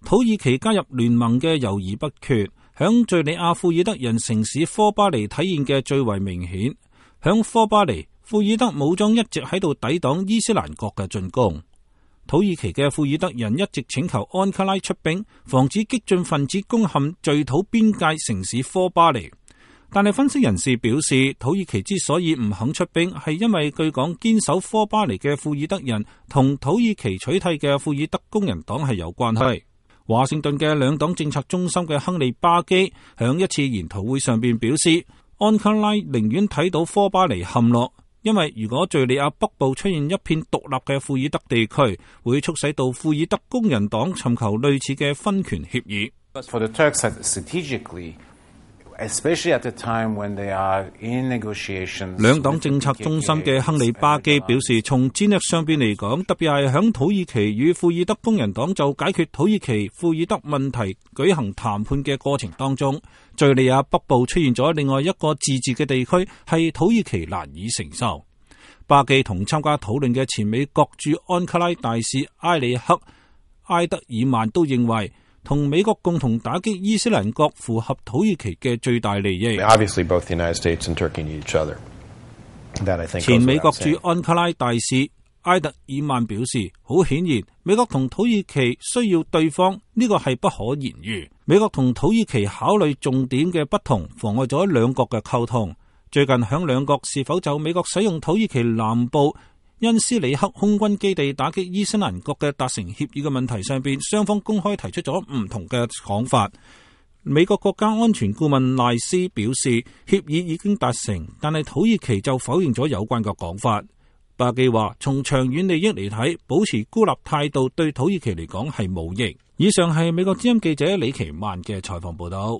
土耳其加入聯盟嘅猶豫不決，響敘利亞庫爾德人城市科巴尼體現嘅最為明顯。響科巴尼，庫爾德武裝一直喺度抵擋伊斯蘭國嘅進攻。土耳其嘅庫爾德人一直請求安卡拉出兵，防止激進分子攻陷敘土邊界城市科巴尼。但係分析人士表示，土耳其之所以唔肯出兵，係因為據講堅守科巴尼嘅庫爾德人同土耳其取締嘅庫爾德工人黨係有關係。華盛頓嘅兩黨政策中心嘅亨利巴基響一次研討會上邊表示，安卡拉寧願睇到科巴尼陷落，因為如果敘利亞北部出現一片獨立嘅庫爾德地區，會促使到庫爾德工人黨尋求類似嘅分權協議。兩黨政策中心嘅亨利巴基表示，從戰略上邊嚟講，特別係響土耳其與庫爾德工人黨就解決土耳其庫爾德問題舉行談判嘅過程當中，敘利亞北部出現咗另外一個自治嘅地區，係土耳其難以承受。巴基同參加討論嘅前美國駐安卡拉大使埃里克·埃德爾曼都認為，同美國共同打擊伊斯蘭國符合土耳其嘅最大利益。前美國駐安卡拉大使埃德爾曼表示，好顯然，美國同土耳其需要對方，呢個係不可言喻。美國同土耳其考慮重點嘅不同，妨礙咗兩國嘅溝通。最近響兩國是否就美國使用土耳其南部恩斯里克空軍基地打擊伊斯蘭國嘅達成協議嘅問題上邊，雙方公開提出咗唔同嘅講法。美國國家安全顧問賴斯表示，協議已經達成，但係土耳其就否認咗有關嘅講法。巴基話，從長遠利益嚟睇，保持孤立態度對土耳其嚟講係冇益。以上係美國之音記者李奇曼嘅採訪報道。